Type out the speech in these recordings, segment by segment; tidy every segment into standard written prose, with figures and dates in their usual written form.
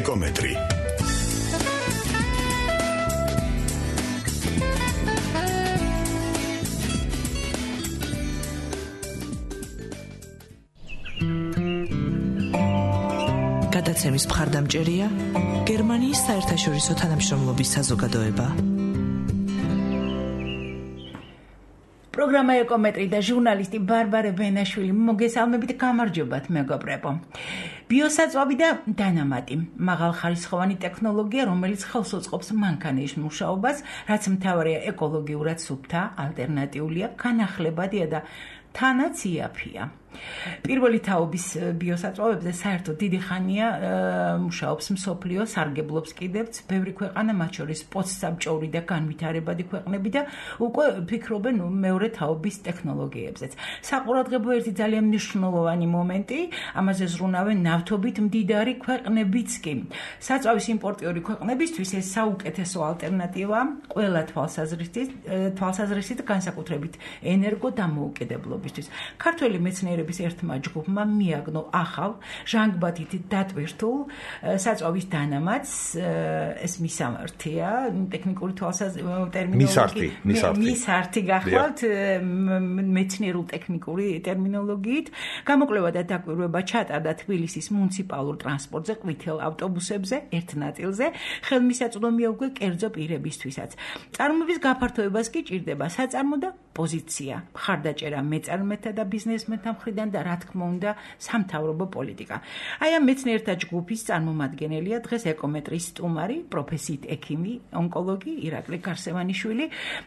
ეკომეტრი. გადაცემის მხარდამჭერია გერმანიის საერთაშორისო თანამშრომლობის საზოგადოება. პროგრამა ეკომეტრი და ჟურნალისტი ბარბარე ბენაშვილი მოგესალმებით, გამარჯობათ მეგობრებო. ბიოსაწვავი და დანამატი მაღალხარისხოვანი ტექნოლოგია, რომელიც ხელს უწყობს მანქანის მუშაობას, რაც მთავარია ეკოლოგიურად სუფთა, ალტერნატიულია, განახლებადია და თანაც იაფია. პირველი თაობის ბიოსაწვავებზე საერთოდ დიდი ხანია მუშაობს მსოფლიო, სარგებლობს კიდევც ბევრი ქვეყანა, მათ შორის პოსტსაბჭოური და განვითარებადი ქვეყნები და უკვე ფიქრობენ მეორე თაობის ტექნოლოგიებზეც. საყურადღებო ერთი ძალიან მნიშვნელოვანი მომენტი, ამაზე ზრუნავენ ნავთობით მდიდარი ქვეყნებიც კი. საწვავის იმპორტიორი ქვეყნებისთვის ეს საუკეთესო ალტერნატივაა ყველა თვალსაზრისით, განსაკუთრებით ენერგო დამოუკიდებლობისთვის. ქართველი მეცნიერები ერთმა ჯგუფმა მიაგნო ახალ ჟანგბადით დატვირთულ საწვავის დანამატს, ეს მისამართია ტექნიკური მისართი გახლავთ მეცნიერულ ტექნიკური ტერმინოლოგიით. გამოკვლევა და დაკვირვება ჩატარდა თბილისის მუნიციპალურ ტრანსპორტზე, ყვითელ ავტობუსებზე, ერთ ნაწილზე, ხელმისაწვდომია უკვე კერძო პირებისთვისაც. წარმოების გაფართოებას კი ჭირდება საწარმო და პოზიცია, მხარდაჭერა მეწარმეთა და ბიზნესმენთა მხრიდან და რა თქმა უნდა სამთავრობო პოლიტიკა. აი ამ მეცნიერთა ჯგუფის წარმომადგენელია დღეს ეკომეტრის სტუმარი, პროფესიით ექიმი, ონკოლოგი ირაკლი გარსევანიშვილი.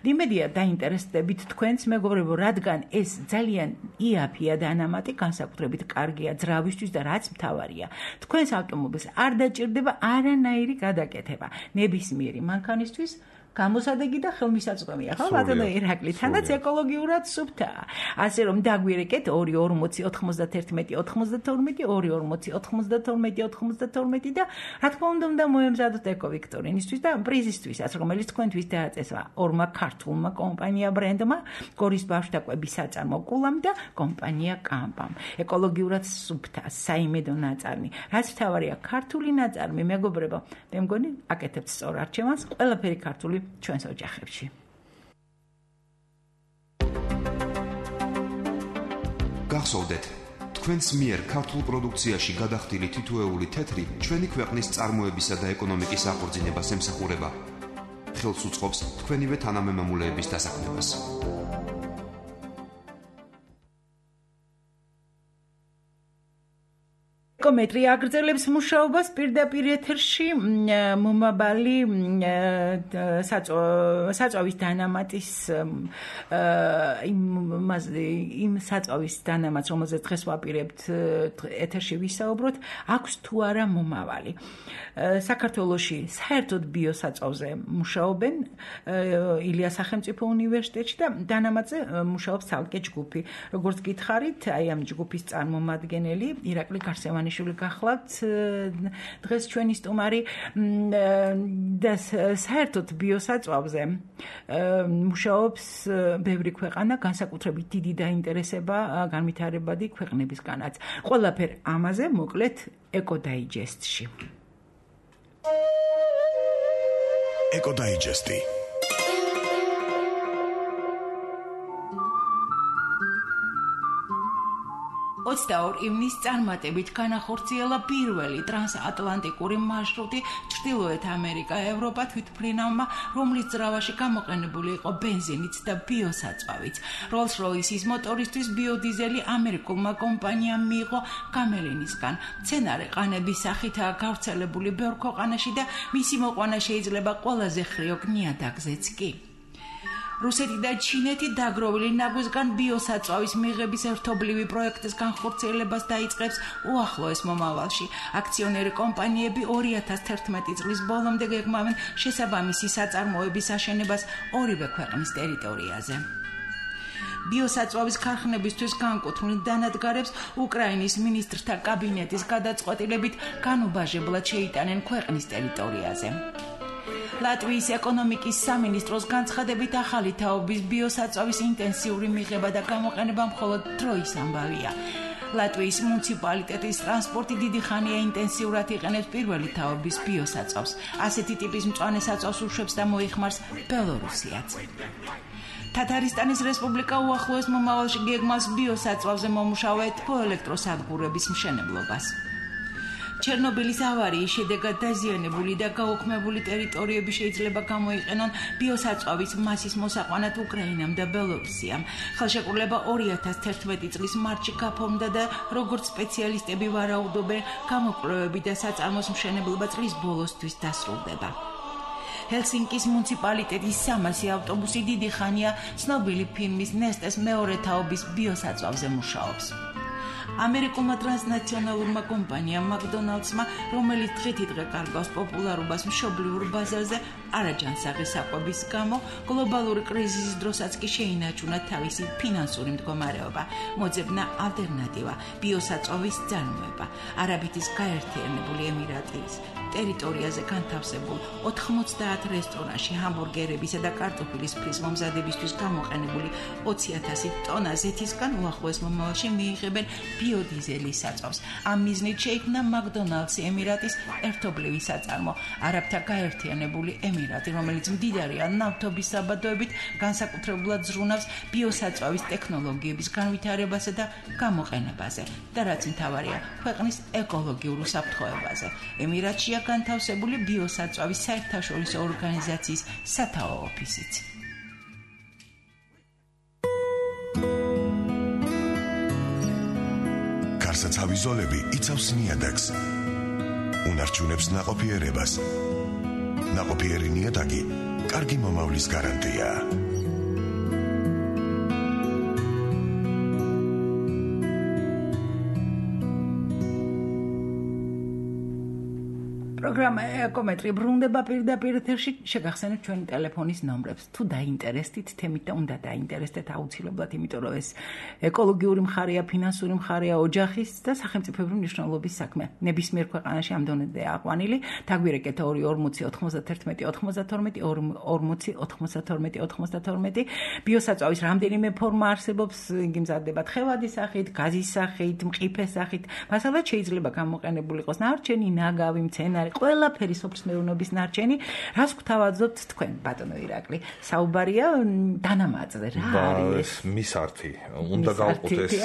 იმედია დაინტერესდებით თქვენს მეგობრებო, რადგან ეს ძალიან იაფია დანამატი, განსაკუთრებით კარგია ძრავისთვის და რაც მთავარია, თქვენს ავტომობილს არ დაჭირდება არანაირი გადაკეთება. ნებისმიერი მანქანისთვის გამოსადეგი და ხელმისაწვდომია, ხო ბატონო ირაკლი, თანაც ეკოლოგიურად სუფთაა. ასე რომ დაგვირეკეთ 240-92-92 და რა თქმა უნდა მოემზადოთ ეკოვიქტორინისთვის და პრიზისთვისაც, რომელიც თქვენთვის დააწესა ორმა ქართულმა კომპანია ბრენდმა, გორის ბავშვთაკვების საწარმო კულამ და კომპანია კამპამ. ეკოლოგიურად სუფთა, საიმედო ნაწარმი, რაც მთავარია ქართული ნაწარმი, მეგობრებო, მე მგონი აკეთებთ სწორ არჩევანს, ყველაფერი ქართული ჩვენს ოჯახებში. გახსოვდეთ, თქვენს მიერ ქართულ პროდუქციაში გადახდილი თითოეული თეთრი ჩვენი ქვეყნის წარმოებისა და ეკონომიკის აღორძინებას ემსახურება. ხელს უწყობს თქვენივე თანამემამულეების დასაქმებას. ეკომეტრი აგრძელებს მუშაობას პირდაპირ ეთერში მომავალი საწვავის დანამატის იმ საწვავის დანამატს, რომელზეც დღეს ვაპირებთ ეთერში ვისაუბროთ, აქვს თუ არა მომავალი. საქართველოში საერთოდ ბიოსაწვავზე მუშაობენ ილია სახელმწიფო უნივერსიტეტში და დანამატზე მუშაობს ცალკე ჯგუფი. როგორც გითხარით, აი ამ ჯგუფის წარმომადგენელი ირაკლი გარსევანიშვილი გახლავთ დღეს ჩვენი სტუმარი და საერთოდ ბიოსაწვავზე მუშაობს ბევრი ქვეყანა, განსაკუთრებით დიდი დაინტერესება განვითარებადი ქვეყნებისგანაც. ყველაფერ ამაზე მოკლედ ეკოდაიჯესტში. ეკოდაიჯესტი 22 ივნის წარმატებით განახორციელა პირველი ტრანსატლანტიკური მარშრუტი ჩრდილოეთ ამერიკა, ევროპა თვითმფრინავმა, რომლის ძრავაში გამოყენებული იყო ბენზინიც და ბიოსაწვავიც. როლს-როისის მოტორისთვის ბიოდიზელი ამერიკულმა კომპანიამ მიიღო გამელინისგან. მცენარე ყანების სახითაა გავრცელებული ბევრ ქვეყანაში და მისი მოყვანა შეიძლება ყველაზე ხრიოკ ნიადაგზეც კი. რუსეთი და ჩინეთი დაგროვილი ნაგვისგან ბიოსაწვავის მიღების ერთობლივი პროექტის განხორციელებას დაიწყებს უახლოეს მომავალში. აქციონერი კომპანიები 2011 წლის ბოლომდე გეგმავენ შესაბამისი საწარმოების აშენებას ორივე ქვეყნის ტერიტორიაზე. ბიოსაწვავის ქარხნებისთვის განკუთვნილ დანადგარებს უკრაინის მინისტრთა კაბინეტის გადაწყვეტილებით განუბაჟებლად შეიტანენ ქვეყნის ტერიტორიაზე. ლატვიის ეკონომიკის სამინისტროს განცხადებით ახალი თაობის ბიოსაწვავის ინტენსიური მიღება და გამოყენება მხოლოდ დროის ამბავია. ლატვიის მუნიციპალიტეტის ტრანსპორტი დიდი ხანია ინტენსიურად იყენებს პირველი თაობის ბიოსაწვავს. ასეთი ტიპის მწვანე საწვავს უშვებს და მოიხმარს ბელორუსიაც. თათარისტანის რესპუბლიკა უახლოეს მომავალში გეგმავს ბიოსაწვავზე მომუშავე თბოელექტროსადგურების მშენებლობას. ჩერნობილის ავარიის შედეგად დაზიანებული და გაუქმებული ტერიტორიები შეიძლება გამოიყენონ ბიოსაწვავის მასის მოსაყვანად უკრაინამ და ბელორუსიამ. ხელშეკრულება 2011 წლის მარტში გაფორმდა და როგორც სპეციალისტები ვარაუდობენ, გამოკვლევები და საწარმოს მშენებლობა წლის ბოლოსთვის დასრულდება. ჰელსინკის მუნიციპალიტეტის 300 ავტობუსი დიდი ხანია ცნობილი ფირმის ნესტეს მეორე თაობის ბიოსაწვავზე მუშაობს. ამერიკულმა ტრანსნაციონალურმა კომპანიამ მაკდონალდსმა, რომელიც დღითიდღე კარგავს პოპულარობას მშობლიურ ბაზარზე, არაჯანსაღი საკვების გამო გლობალური კრიზისის დროსაც კი შეინარჩუნა თავისი ფინანსური მდგომარეობა. მოძებნა ალტერნატივა ბიოსაწვავის წარმოება. არაბეთის გაერთიანებული ემირატის ტერიტორიაზე განთავსებულ 90 რესტორანში ჰამბურგერებისა და კარტოფილის ფრის მომზადებისთვის გამოყენებული 20,000 ტონა ზეთისგან უახლოეს მომავალში მიიღებენ ბიოდიზელის საწვავს. ამ მიზნით შეიქმნა მაკდონალდსი ემირატის ერთობლივი საწარმო, არაბთა გაერთიანებული ემირატი, რომელიც მდიდარია ნავთობის საბადოებით, განსაკუთრებულად ზრუნავს ბიოსაწვავის ტექნოლოგიების განვითარებასა და გამოყენებაზე და რაც მთავარია, ქვეყნის ეკოლოგიურ უსაფრთხოებაზე. ემირატშია განთავსებული ბიოსაწვავის საერთაშორისო ორგანიზაციის სათაო ოფისიც. გარსაცავი ზოლები იცავს ნიადაგს. უნარჩუნებს ნაყოფიერებას. ნაყოფიერი ნიადაგი კარგი მომავლის გარანტია. პროგრამა ეკომეტრი ბრუნდება პირდაპირ ეთერში. შეგახსენებთ ჩვენი ტელეფონის ნომრებს. თუ დაინტერესდით თემით და უნდა დაინტერესდეთ აუცილებლად, იმიტომ რომ ეს ეკოლოგიური მხარეა, ფინანსური მხარეა, ოჯახის და სახელმწიფოებრივი მნიშვნელობის საქმე. ნებისმიერ ქვეყანაში ამ დონემდე აყვანილი. დაგვირეკეთ 240 91 92 40 92 92. ბიოსაწვავის რამდენიმე ფორმა არსებობს, იგი მზადდება თხევადის სახით, გაზის სახით, მყიფეს სახით. მასალად შეიძლება გამოყენებული იყოს ნარჩენი, ნაგავი, მცენარე, ყველაფერი სოფლის მეურნეობის ნარჩენი. რას გვთავაზობთ თქვენ, ბატონო ირაკლი? საუბარია დანამატზე, რა არის? მისართი. უნდა გავყოთ ეს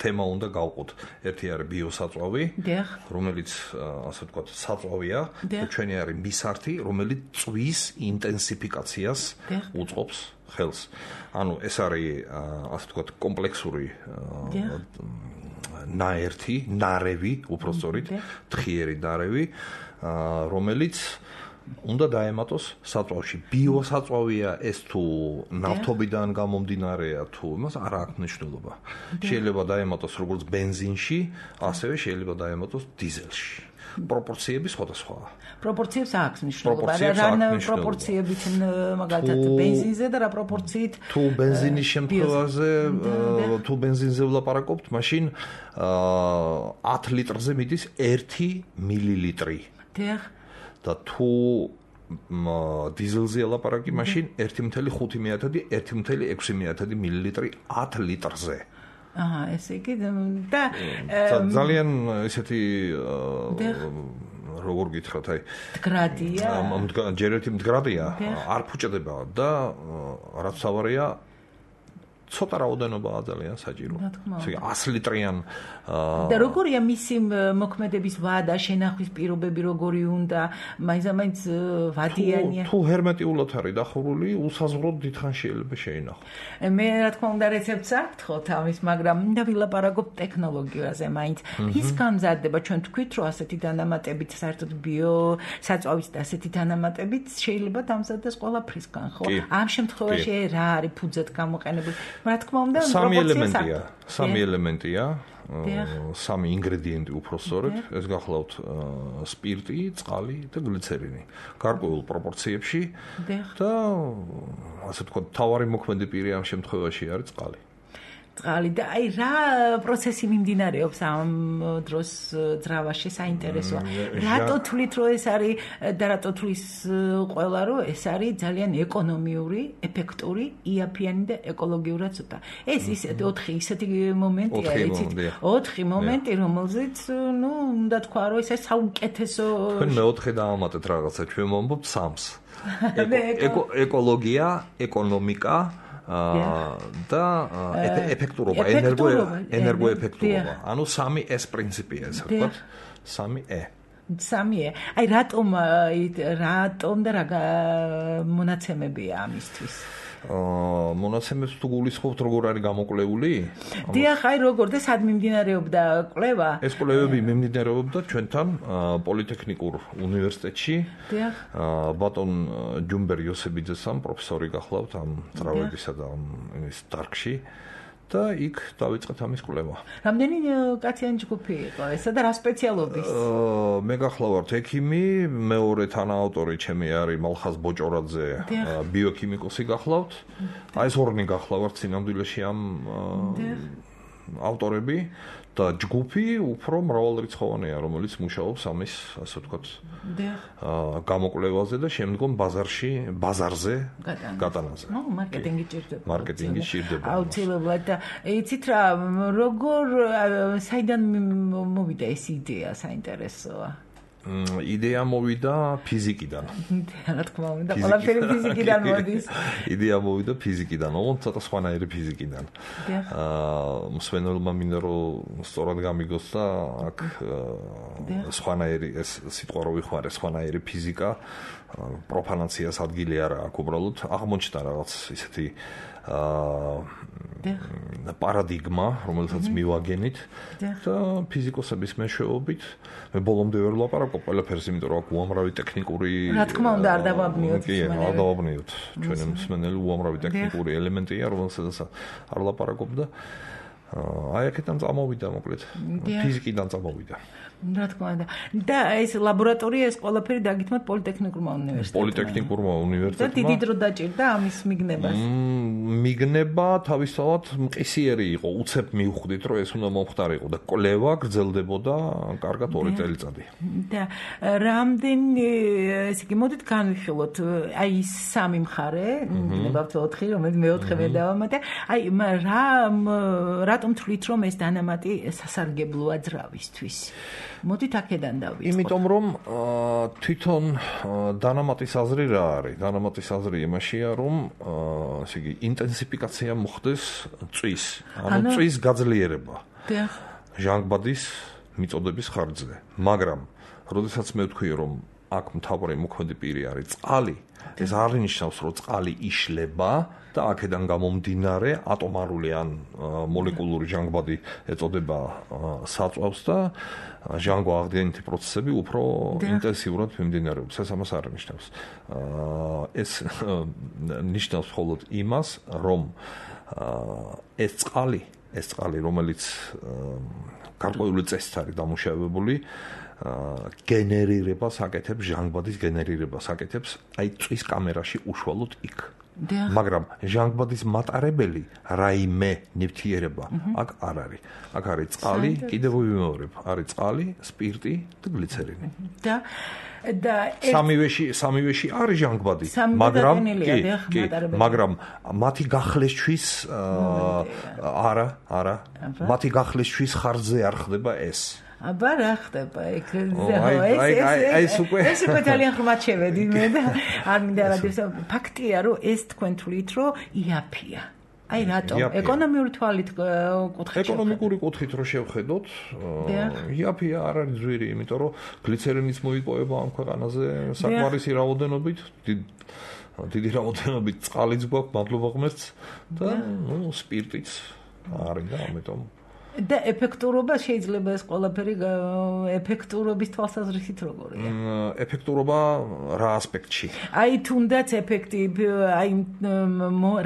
თემა უნდა გავყოთ. ერთი არის ბიოსაწვავი, რომელიც ასე ვთქვათ, საწვავია, ჩვენი არის მისართი, რომელიც წვის ინტენსიფიკაციას უწყობს ხელს. ანუ ეს არის ასე ვთქვათ, კომპლექსური ნარევი, უпростоრით, თხიერი ნარევი, რომელიც უნდა დაემატოს საწვავში. ბიოსაწვავია ეს თუ ნავთობიდან გამომდინარეა თუ იმას არ აქვს მნიშვნელობა. შეიძლება დაემატოს როგორც ბენზინში, ასევე შეიძლება დაემატოს დიზელში. პროპორციები სხვადასხვაა. პროპორციებს აქვს მნიშვნელობა. რა პროპორციებით მაგალითად ბენზინზე და რა პროპორციით თუ ბენზინის შემთხვევაზე, თუ ბენზინზე ვლაპარაკობთ, მაშინ 10 ლიტრზე მიდის 1 მილილიტრი. და თუ დიზელზე ლაპარაკი, მაშინ 1.5 1.6 მილილიტრი 10 litrze. ესე იგი და ძალიან ესეთი როგორ გითხრათ, აი მდგრადია. ჯერეთი მდგრადია, არ ფუჭდება და რაც თავარია ცოტა რაოდენობაა ძალიან საჭირო. ესე იგი 100 ლიტრიან და როგორია მისი მოქმედების ვადა, შენახვის პირობები როგორი უნდა, მაინც ვადიანია. თუ ჰერმეტიულად არის დახურული, უსაზღვროდ დიდხან შეიძლება შეინახოს. მე რა თქმა უნდა რეცეპტს არ გთხოვთ ამის, მაგრამ მინდა ვილაპარაკობ ტექნოლოგიაზე მაინც. ის განმზადდება, ჩვენ თქვით, რომ ასეთი დანამატებით, საერთოდ ბიოსაწვავის და ასეთი დანამატებით შეიძლება დამზადდეს ყველაფრისგან, ხო? ამ შემთხვევაში რა არის ფუძად გამოყენებული? რა თქმა უნდა, სამი ელემენტია, სამი ინგრედიენტი უпростоრეთ, ეს გახლავთ სპირტი, წყალი და გლიცერინი. გარკვეულ პროპორციებში და ასე ვთქვათ, თავარი მოქმედი პირი ამ შემთხვევაში არის წყალი. წყალი და აი რა პროცესი მიმდინარეობს ამ დროს ძრავაში საინტერესოა. რატო თვლით რომ ეს არის და რატო თვლის ყველა რომ ეს არის ძალიან ეკონომიური, ეფექტური, იაფიანი და ეკოლოგიურად ცოტა. ეს ისეთი 4 ისეთი მომენტია, იცით? 4 მომენტი, რომელზეც ნუ უნდა თქვა რომ ეს საუკეთესო თქვენ მე-4 დაამატეთ რაღაცა, ჩვენ მომბობ 3-ს. ეკოლოგია, ეკონომიკა და ეფექტურობა, ენერგოეფექტურობა. ანუ 3S პრინციპია ეს, რა ვთქვათ? 3E. 3E. აი რატომ და რა მონაცემებია ამისთვის? მონაცემებს თუ გულისხმობთ როგორ არის გამოკვლეული? დიახ, აი როგორ და სად მიმდინარეობდა კვლევა? ეს კვლევები მიმდინარეობდა ჩვენთან პოლიტექნიკურ უნივერსიტეტში. დიახ. ბატონ ჯუმბერ იოსებიძესთან პროფესორი გახლავთ ამ ძრავებისა და ის დარგში. და იქ დავიწყეთ ამის კვლევა. რამდენი კაციანი ჯგუფი იყო ესა და რა სპეციალობის? მე გახლავართ ექიმი, მეორე თანაავტორი ჩემი არის მალხაზ ბოჭორაძე, ბიოქიმიკოსი გახლავთ. აი ეს ორნი გახლავართ სინამდვილეში ამ ავტორები და ჯგუფი უფრო მრავალრიცხოვანია, რომელიც მუშაობს ამის, ასე ვთქვათ, გამოკვლევაზე და შემდგომ ბაზარზე გატანაზე. მარკეტინგი ჭირდება. მარკეტინგი ჭირდება. აუცილებლად და იცით რა, როგორ საიდან მოვიდა ეს იდეა საინტერესოა? იდეა მოვიდა ფიზიკიდან. რა თქმა უნდა, ყველაფერი ფიზიკიდან მოდის. იდეა მოვიდა ფიზიკიდან, ოღონდ ცოტა სხვანაირი ფიზიკიდან. მსმენელმა მინდა რომ სწორად გამიგოს და აქ სხვანაირი ეს სიტყვა რო ვიხმარე, სხვანაირი ფიზიკა, პროფანაციას ადგილი არა აქვს, უბრალოდ აღმოჩნდა რაღაც ისეთი პარადიგმა, რომელსაც მივაგენით და ფიზიკოსების მეშვეობით მე ბოლომდე ვერ ვლაპარაკობ ყველაფერს, იმიტომ რომ აქ უამრავი ტექნიკური რა თქმა უნდა არ დავაბნიოთ არ დავაბნიოთ ჩვენი მსმენელი უამრავი ტექნიკური ელემენტია, რომელსაც არ ვლაპარაკობ და აი აქედან წამოვიდა მოკლედ ფიზიკიდან წამოვიდა. რა თქმა უნდა. და ეს ლაბორატორია ეს ყველაფერი დაგითმოთ პოლიტექნიკურმა უნივერსიტეტმა. პოლიტექნიკურმა უნივერსიტეტმა. და დიდი დრო დაჭირდა ამის მიგნებას. მიგნება თავისთავად მყისიერი იყო, უცებ მივხვდით რომ ეს უნდა მომხდარიყო და კვლევა გრძელდებოდა კარგად 2 წელიწადი. და რამდენი ესე იგი მოდით განვიხილოთ აი ის 3 მხარე, ნებავთ 4, რომელიც მე-4 მე დავამატე. აი რატომ თვლით რომ ეს დანამატი სასარგებლოა ძრავისთვის? მოდით აქედან დავიწყოთ. იმიტომ რომ თვითონ დანამატის აზრი რა არის? დანამატის აზრი იმაშია, რომ ესე იგი ინტენსიფიკაცია მოხდეს წვის, ანუ წვის გაძლიერება. ჟანგბადის მიწოდების ხარჯზე. მაგრამ როდესაც მე ვთქვი, რომ აქ მთავარი მოქმედი პირი არის წყალი, ეს არ ნიშნავს, რომ წყალი იშლება და აქედან გამომდინარე ატომარული ან მოლეკულური ჟანგბადი ეწოდება საწვავს და ჟანგვა-აღდგენითი პროცესები უფრო ინტენსიურად მიმდინარეობს. ეს ამას არ ნიშნავს. ეს ნიშნავს მხოლოდ იმას, რომ ეს წყალი, რომელიც გარკვეული წესით არის დამუშავებული, გენერირებას აკეთებს, ჟანგბადის გენერირებას აკეთებს აი წვის კამერაში უშუალოდ იქ. მაგრამ ჟანგბადის მატარებელი რაიმე ნივთიერება აქ არ არის. აქ არის წყალი, კიდევ ვიმეორებ, არის წყალი, სპირტი და გლიცერინი. და სამივეში არის ჟანგბადი, მაგრამ მათი გახლესთვის არა, მათი გახლესთვის ხარჯზე არ ხდება ეს. აბა რა ხდება ეგ? ეს უკვე ძალიან ხმად შევედი მე და არ მინდა რადიოს. ფაქტია რომ ეს თქვენ თვლით რომ იაფია. აი რატომ? ეკონომიური თვალით კუთხით. ეკონომიკური კუთხით რო შევხედოთ, იაფია არ არის ძვირი, იმიტომ რომ გლიცერინის მოიპოვება ამ ქვეყანაზე საკმარისი რაოდენობით, დიდი რაოდენობით წყალიც გვაქვს, მადლობა ღმერთს და სპირტიც არის და ამიტომ და ეფექტურობა შეიძლება ეს ყველაფერი ეფექტურობის თვალსაზრისით როგორია? ეფექტურობა რა ასპექტში? აი თუნდაც ეფექტი, აი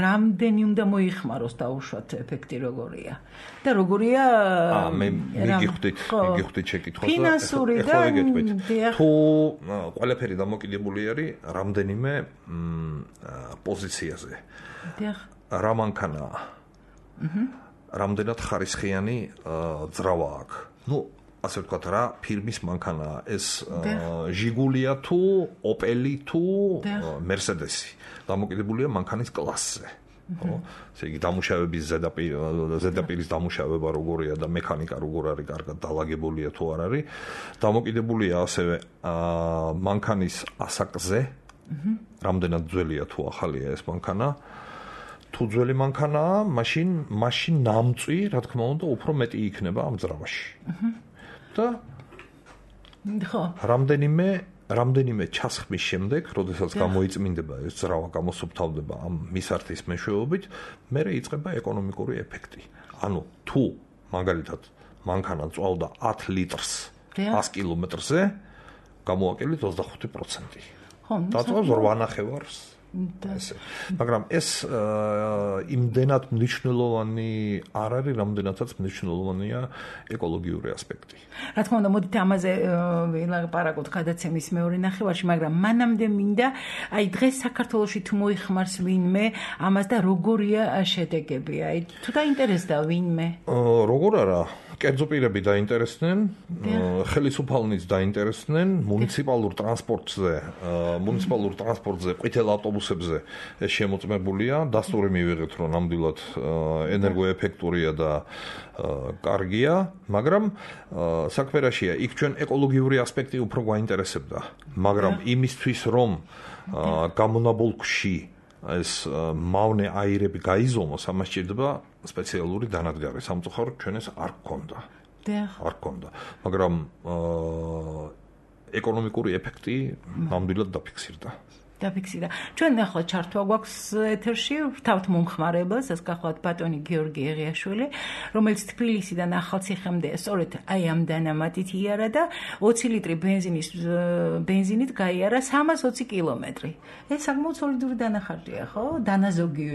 რამდენი უნდა მოიხმაროს დაუშვათ ეფექტი როგორია? და როგორია? მე მიგხვდით შეკითხვას და ფინანსური და თუ ყველაფერი დამოკიდებული არის რამდენიმე პოზიციაზე. რა მანქანაა? რამდენად ხარისხიანი ძრავა აქვს. ასე ვთქვათ, რა ფირმის მანქანაა ეს ჟიგულია თუ ოპელი თუ მერსედესი. დამოკიდებულია მანქანის კლასზე. ესე იგი დამუშავების ზედაპირის დამუშავება როგორია და მექანიკა როგორ არის კარგად დალაგებულია თუ არ არის. დამოკიდებულია ასევე მანქანის ასაკზე. რამდენად ძველია თუ ახალია ეს მანქანა. თუ ძველი მანქანაა, მაშინ ნამწვი, რა თქმა უნდა, უფრო მეტი იქნება ამ ძრავაში. და რამდენიმე ჩასხმის შემდეგ, როდესაც გამოიწმინდება ეს ძრავა, გამოსუფთავდება ამ მისართის მეშვეობით, მერე იწყება ეკონომიკური ეფექტი. ანუ თუ მაგალითად მანქანა წვავდა 10 litrს 100 კილომეტრზე, გამოაკელით 25%. დაწვავს 8.5-ს. მაგრამ ეს იმდენად მნიშვნელოვანი არ არის, რამდენადაც მნიშვნელოვანია ეკოლოგიური ასპექტი. რა თქმა უნდა, მოდით ამაზე ვილაპარაკოთ გადაცემის მეორე ნახევარში, მაგრამ მანამდე მინდა, აი დღეს საქართველოში თუ მოიხმარს ვინმე ამას და როგორია შედეგები? აი თუ დაინტერესდა ვინმე? როგორ არა? კერძო პირები დაინტერესდნენ, ხელისუფალნიც დაინტერესდნენ, მუნიციპალურ ტრანსპორტზე, ყვითელ ავტობუსებზე ეს შემოწმებულია, დასტური მივიღეთ, რომ ნამდვილად ენერგოეფექტურია და კარგია, მაგრამ საქმე რაშია, იქ ჩვენ ეკოლოგიური ასპექტი უფრო გვაინტერესებდა, მაგრამ იმისთვის, რომ გამონაბოლქვში ეს მავნე აირები გაიზომოს, ამას სჭირდება სპეციალური დანადგარი. სამწუხაროდ ჩვენ ეს არ გქონდა. არ გქონდა. მაგრამ ეკონომიკური ეფექტი ნამდვილად დაფიქსირდა. ჩვენ ახლა ჩართვა გვაქვს ეთერში, ვთავთ მომხმარებელს, ეს გახლავთ ბატონი გიორგი ეღიაშვილი, რომელიც თბილისიდან ახალციხემდე სწორედ აი ამ დანამატით იარა და 20 ლიტრი ბენზინით გაიარა 320 კილომეტრი. ეს საკმაოდ სოლიდური დანახარჯია, ხო? დანაზოგი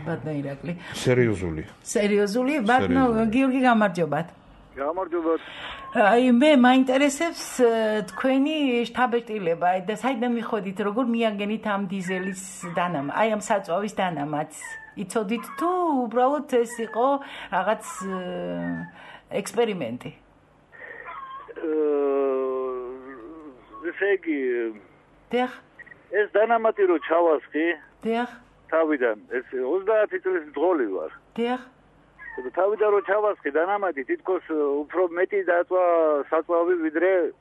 ბატონო ირაკლი. სერიოზული? ბატონო გიორგი, გამარჯობათ. გამარჯობათ. აი მე მაინტერესებს თქვენი შთაბეჭდილება და საიდან მიხოდით, როგორ მიაგენით ამ დიზელის დანამატს, აი ამ საწვავის დანამატს. იცოდით თუ უბრალოდ ეს იყო რაღაც ექსპერიმენტი? ესე იგი ეს დანამატი რო ჩავასხი თავიდან, ეს 30 წლის მძღოლი ვარ. თავიდან რო ჩავასხი დანამატი, თითქოს უფრო მეტი დაწვა საწვავი ვიდრე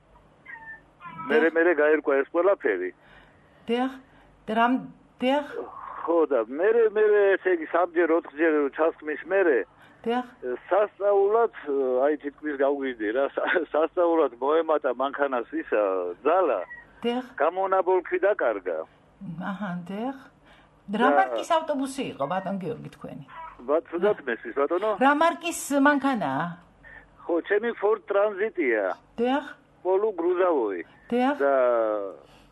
მერე გაერკვა ეს ყველაფერი. ხო და მერე ესე იგი 3-ჯერ 4-ჯერ ჩასხმის მერე სასწაულად, აი თითქმის გავგვიძდი რა, სასწაულად მოემატა მანქანას ისა ძალა. გამონაბოლქვი დაკარგა. რა მარკის ავტობუსი იყო ბატონ გიორგი თქვენი? ბატონო ბატონო? რა მარკის მანქანაა? ხო, ჩემი Ford Transit-ია. პოლუ გრუზავოი. და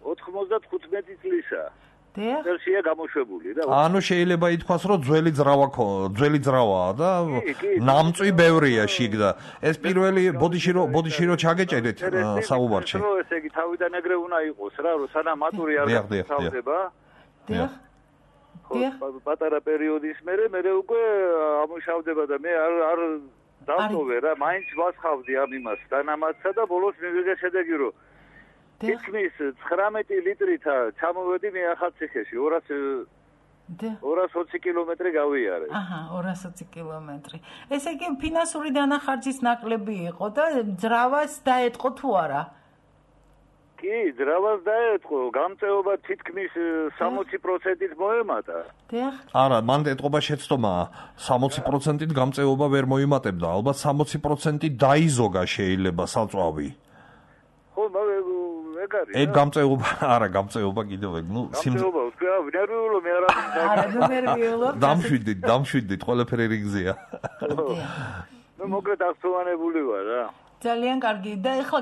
95 წლისა. ვერსია გამოშვებული და ანუ შეიძლება ითქვას, რომ ძველი ძრავაა და ნამწვი ბევრია შიგ და ეს პირველი ბოდიში რო ჩაგეჭერეთ საუბარში. ესე იგი თავიდან ეგრე უნდა იყოს რა, რომ სანამ მატური არ გასწავდება. პატარა პერიოდის მერე უკვე ამუშავდება და მე არ დავტოვე რა, მაინც ვასხავდი ამ იმას დანამატსა და ბოლოს მივიღე შედეგი, რომ თითქმის 19 ლიტრით ჩამოვედი მე ახალციხეში 220 კილომეტრი გავიარე. 220 კილომეტრი. ესე იგი ფინანსური დანახარჯის ნაკლები იყო და ძრავას დაეტყო თუ არა? კი, ძრავას დაეტყო, გამწეობა თითქმის 60%-ით მოემატა. არა, მან ეტყობა შეცდომაა, 60%-ით გამწეობა ვერ მოიმატებდა, ალბათ 60%-ით დაიზოგა შეიძლება საწვავი. ხო, ეგ გამწეობა, არა, გამწეობა კიდევ ეგ, გამწეობა, ვთქვა, ნერვიულო მე არა. ნერვიულო. დამშვიდით, ყველაფერი რიგზეა. მე მოკლედ აღწევანებული ვარ რა. ძალიან კარგი და ეხლა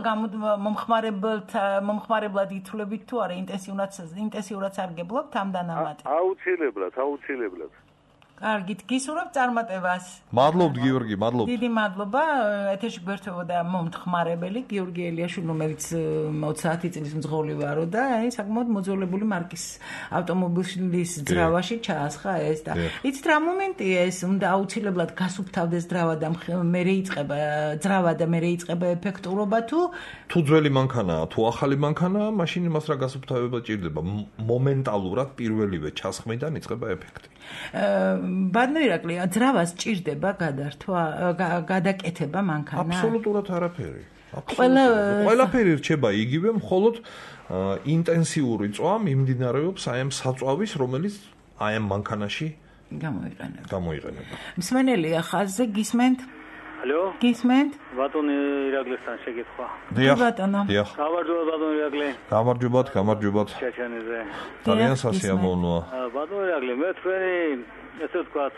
მომხმარებლად ითვლებით თუ არა ინტენსიურად სარგებლობთ ამ დანამატით? აუცილებლად. კარგით, გისურვებ წარმატებას. მადლობთ გიორგი, მადლობთ. დიდი მადლობა. ეთერში გვერდებოდა მომთხმარებელი გიორგი ელიაშვილი, რომელიც 30 წლის მძღოლი ვარო და საკმაოდ მოძველებული მარკის ავტომობილის ძრავაში ჩაასხა ეს და იცით რა მომენტია ეს, უნდა აუცილებლად გასუფთავდეს ძრავა და მერე იწყება ძრავა და მერე იწყება ეფექტურობა თუ ძველი მანქანაა, თუ ახალი მანქანაა, მაშინ იმას რა გასუფთავება ჭირდება. მომენტალურად პირველივე ჩასხმიდან იწყება ეფექტი. ბატონო ირაკლი, ძრავას ჭირდება გადართვა, გადაკეთება მანქანა? აბსოლუტურად არაფერი. ყველაფერი რჩება იგივე, მხოლოდ ინტენსიური წვა მიმდინარეობს აი ამ საწვავის, რომელიც აი ამ მანქანაში გამოიყენება. მსმენელია ხაზზე, გისმენთ? ალო? გისმენთ? ბატონი ირაკლისთან შეკითხვა. ბატონო. გამარჯობა ბატონი ირაკლი. გამარჯობათ. ჩაჩანიზე. ძალიან სასიამოვნოა. ბატონი ირაკლი, მე თქვენი ესე ვთქვათ,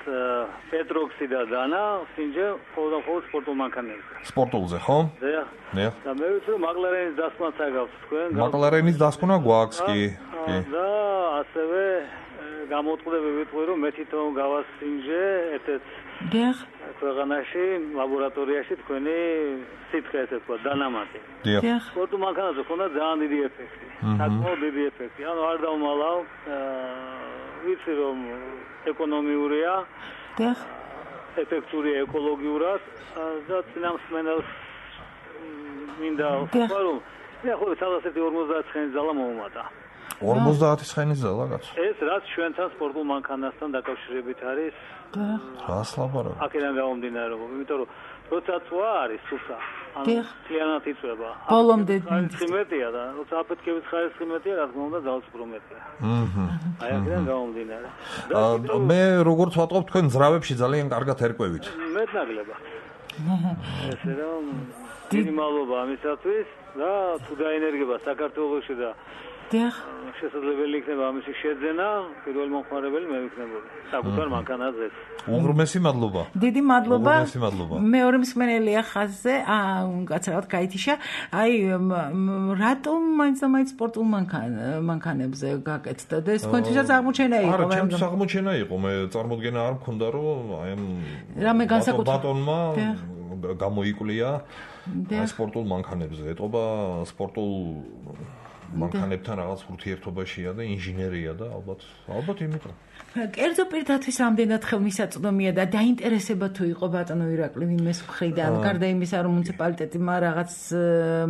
პეტროქსი და დანა, სინჯე, ყოველდღიურ სპორტულ მანქანებზე. სპორტულზე, ხო? დიახ. და მე ვიცი, რომ მაკლარენის დასკვნაც აგავს თქვენ. მაკლარენის დასკვნა გვაქვს კი. და ასევე გამოწყდები ვიტყვი, რომ მე თვითონ გავასინჯე ერთ-ერთ დიახ. ქვეყანაში ლაბორატორიაში თქვენი სითხე ესე ვთქვათ, დანამატი. დიახ. სპორტულ მანქანაზე ქონდა ძალიან დიდი ეფექტი. საკმაოდ დიდი ეფექტი. ანუ არ დავმალავ, ვიცი რომ ეკონომიურია, ეფექტურია ეკოლოგიურად და წინამსმენელს მინდა ვთქვა, რომ ახლა 150 ცხენის ძალა მოუმატა. 50 ცხენის ძალა კაცო. ეს რაც ჩვენთან სპორტულ მანქანასთან დაკავშირებით არის. რას ლაპარაკობ? აქედან გამომდინარეობს, იმიტომ რომ როცა წვა არის სუფთა, ანუ ძალიანად იწვება. ბოლომდე ხიმეტია და როცა აფეთქების ხარისხი მეტია, რა თქმა უნდა, ძალს უფრო მეტია. აი აქედან გამომდინარე. მე როგორც ვატყობ, თქვენ ძრავებში ძალიან კარგად ერკვევით. მეტნაკლებად. ესე რომ დიდი მადლობა ამისათვის და თუ დაენერგება საქართველოში და დიახ. შესაძლებელი იქნება ამისი შეძენა, პირველი მომხმარებელი მე ვიქნებოდი. საკუთარ მანქანაზე. უღრმესი მადლობა. დიდი მადლობა. უღრმესი მადლობა. მეორე მსმენელია ხაზზე, კაცრავად გაითიშა. აი, რატომ მაინც სპორტულ მანქანებზე გაკეთდა და ეს თქვენთვისაც აღმოჩენა იყო? არა, ჩემთვის აღმოჩენა იყო. მე წარმოდგენა არ მქონდა, რომ აი ამ რამე განსაკუთრებული ბატონმა გამოიკვლია სპორტულ მანქანებზე. ეტყობა სპორტულ მანქანებთან რაღაც ურთიერთობაშია და ინჟინერია და ალბათ იმიტომ. კერძო პირთათვის რამდენად ხელმისაწვდომია და დაინტერესება თუ იყო ბატონო ირაკლი ვინმეს მხრიდან, გარდა იმისა, რომ მუნიციპალიტეტმა რაღაც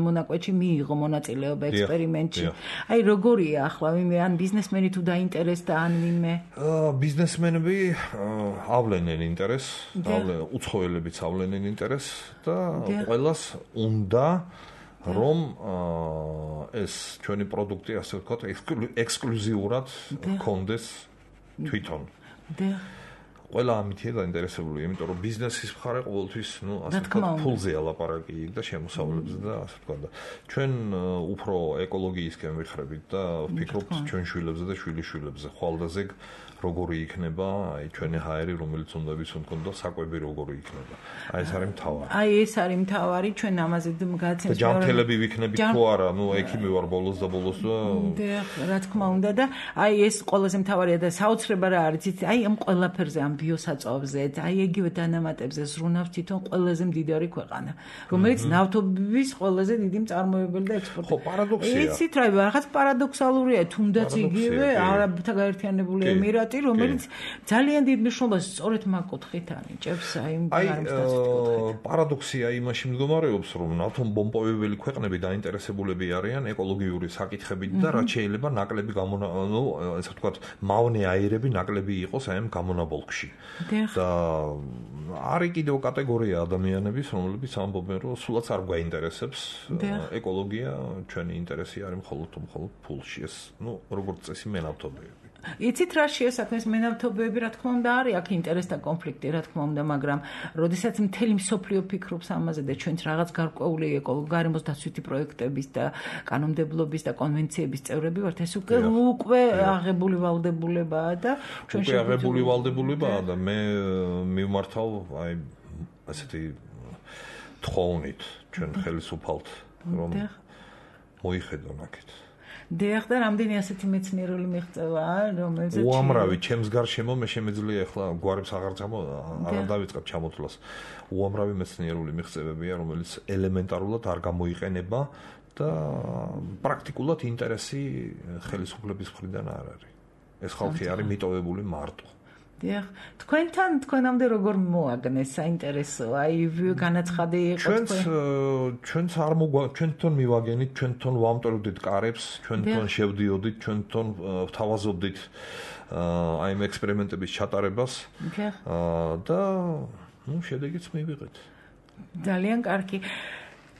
მონაკვეთში მიიღო მონაწილეობა ექსპერიმენტში. აი როგორია ახლა ვინმე ან ბიზნესმენი თუ დაინტერესდა ან ვინმე? ბიზნესმენები ავლენენ ინტერესს, უცხოელებიც ავლენენ ინტერესს და ყველას უნდა რომ ეს ჩვენი პროდუქტი ასე ვთქვათ ექსკლუზიურად გქონდეს თვითონ. ყველა ამითია დაინტერესებული, იმიტომ რომ ბიზნესის მხარე ყოველთვის, ასე ვთქვათ, ფულზეა ლაპარაკი და შემოსავლებზე და ასე ვთქვათ და ჩვენ უფრო ეკოლოგიისკენ ვიხრებით და ვფიქრობთ ჩვენ შვილებზე და შვილიშვილებზე, ხვალდაზე როგორი იქნება აი ჩვენი ჰაერი, რომელიც უნდა ვიცოდოთ, საკვები როგორი იქნება. აი ეს არის მთავარი. აი ეს არის მთავარი, ჩვენ ამაზე გაცემს. ჯანმრთელები ვიქნებით თუ არა, ექი მე ვარ ბოლოს და რა თქმა უნდა და აი ეს ყველაზე მთავარია და საოცრება რა არის, იცით, აი ამ ყველაფერზე, ამ ბიოსაწვავზე, აი იგივე დანამატებზე ზრუნავს თვითონ ყველაზე მდიდარი ქვეყანა, რომელიც ნავთობის ყველაზე დიდი მწარმოებელი და ექსპორტი. ხო, პარადოქსია. იცით რა, რაღაც პარადოქსალურია, თუნდაც იგივე არაბთა გაერთიანებული ემირატი, რომელიც ძალიან დიდ მნიშვნელობას სწორედ მაგ კუთხით ანიჭებს, აი პარადოქსია იმაში მდგომარეობს, რომ ნავთობომპოვებელი ქვეყნები დაინტერესებულები არიან ეკოლოგიური საკითხებით და რაც შეიძლება ნაკლები ესე ვთქვათ, მავნე აირები ნაკლები იყოს აი ამ გამონაბოლქში. და არის კიდევ კატეგორია ადამიანების, რომლებიც ამბობენ, რომ სულაც არ გვაინტერესებს ეკოლოგია, ჩვენი ინტერესი არის მხოლოდ ფულში. ეს, როგორც წესი მენავთობები. იცით რა შეესაბამეს მენავთობები, რა თქმა უნდა არის აქ ინტერესთა კონფლიქტი, რა თქმა უნდა, მაგრამ როდესაც მთელი მსოფლიო ფიქრობს ამაზე და ჩვენც რაღაც გარკვეული გარემოს დაცვითი პროექტების და კანონმდებლობის და კონვენციების წევრები ვართ, ეს უკვე აღებული ვალდებულებაა და ჩვენ აღებული ვალდებულებაა და მე მივმართავ აი ასეთი თხოვნით ჩვენ ხელისუფალთ, რომ მოიხედონ აქეთ. დიახ და რამდენი ასეთი მეცნიერული მიღწევა რომელზეც უამრავი ჩემს გარშემო მე შემეძლია ახლა გვარებს აღარ დავიწყებ ჩამოთვლას უამრავი მეცნიერული მიღწევებია რომელიც ელემენტარულად არ გამოიყენება და პრაქტიკულად ინტერესი ხელისუფლების მხრიდან არ არის ეს ხალხი არის მიტოვებული მარტო დიახ თქვენამდე როგორ მოაგნეს საინტერესო აი განაცხადი იყო ჩვენც არ ჩვენ თვითონ მივაგენით ჩვენ თვითონ ვამტვრევდით კარებს ჩვენ თვითონ შევდიოდით ჩვენ თვითონ ვთავაზობდით აი ამ ექსპერიმენტების ჩატარებას და შედეგიც მივიღეთ ძალიან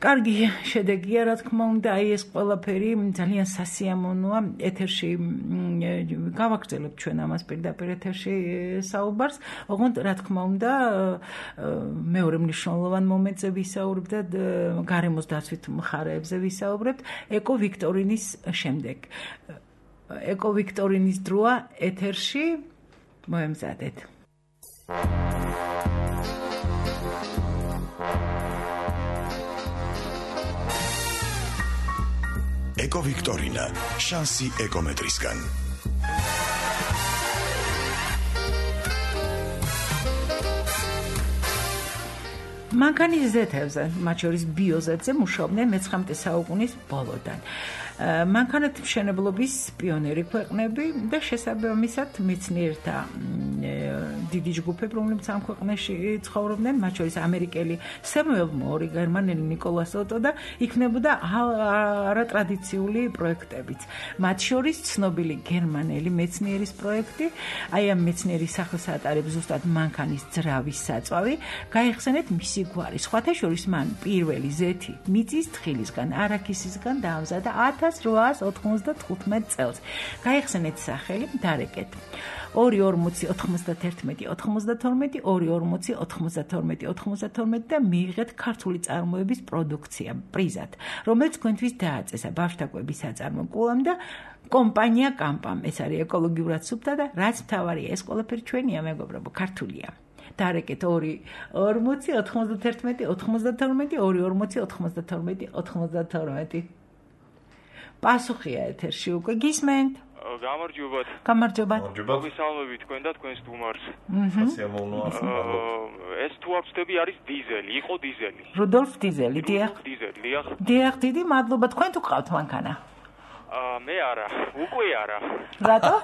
კარგი შედეგია რა თქმა უნდა აი ეს ყველაფერი ძალიან სასიამოვნოა ეთერში გავაგრძელებთ ჩვენ ამას პირდაპირ ეთერში საუბარს ოღონდ რა თქმა უნდა მეორე მნიშვნელოვან მომენტზე ვისაუბრებთ და გარემოს დაცვით მხარეებზე ვისაუბრებთ ეკო ვიქტორინის შემდეგ ეკო ვიქტორინის დროა ეთერში მოემზადეთ ეკო ვიქტორინა შანსი ეკომეტრისგან მანქანის ზეთებზე მათ შორის ბიოზეთზე მუშაობდნენ მე-19 საუკუნის ბოლოდან მანქანათმშენებლობის პიონერი ქვეყნები და შესაბამისად მეცნიერთა დიდი ჯგუფები რომლებიც ამ ქვეყნებში ცხოვრობდნენ მათ შორის ამერიკელი სემუელ მორი გერმანელი ნიკოლას ოტო და იქნებოდა არატრადიციული პროექტებიც მათ შორის ცნობილი გერმანელი მეცნიერის პროექტი აი ამ მეცნიერის სახელს ატარებს ზუსტად მანქანის ძრავის საწვავი გაიხსენეთ მისი გვარი სხვათა შორის მან პირველი ზეთი მიწის თხილისგან არაქისისგან დაამზადა 1895 წელს. გაიხსენეთ სახელი, დარეკეთ. 2.40-91-92 და მიიღეთ ქართული წარმოების პროდუქცია პრიზად, რომელიც თქვენთვის დააწესა ბავშვთა კვების საწარმო კულამ და კომპანია კამპამ. ეს არის ეკოლოგიურად სუფთა და რაც მთავარია, ეს ყველაფერი ჩვენია, მეგობრებო, ქართულია. დარეკეთ 2.40-91-92 პასუხია ეთერში უკვე გისმენთ? გამარჯობათ. გამარჯობა. მოგესალმებით თქვენ და თქვენს სტუმარს. სასიამოვნოა. ეს თუ არ ვწდები არის დიზელი, იყო დიზელი. რუდოლფ დიზელი, დიახ. დიახ, დიდი მადლობა. თქვენ თუ გყავთ მანქანა? მე არა, უკვე არა. რატო?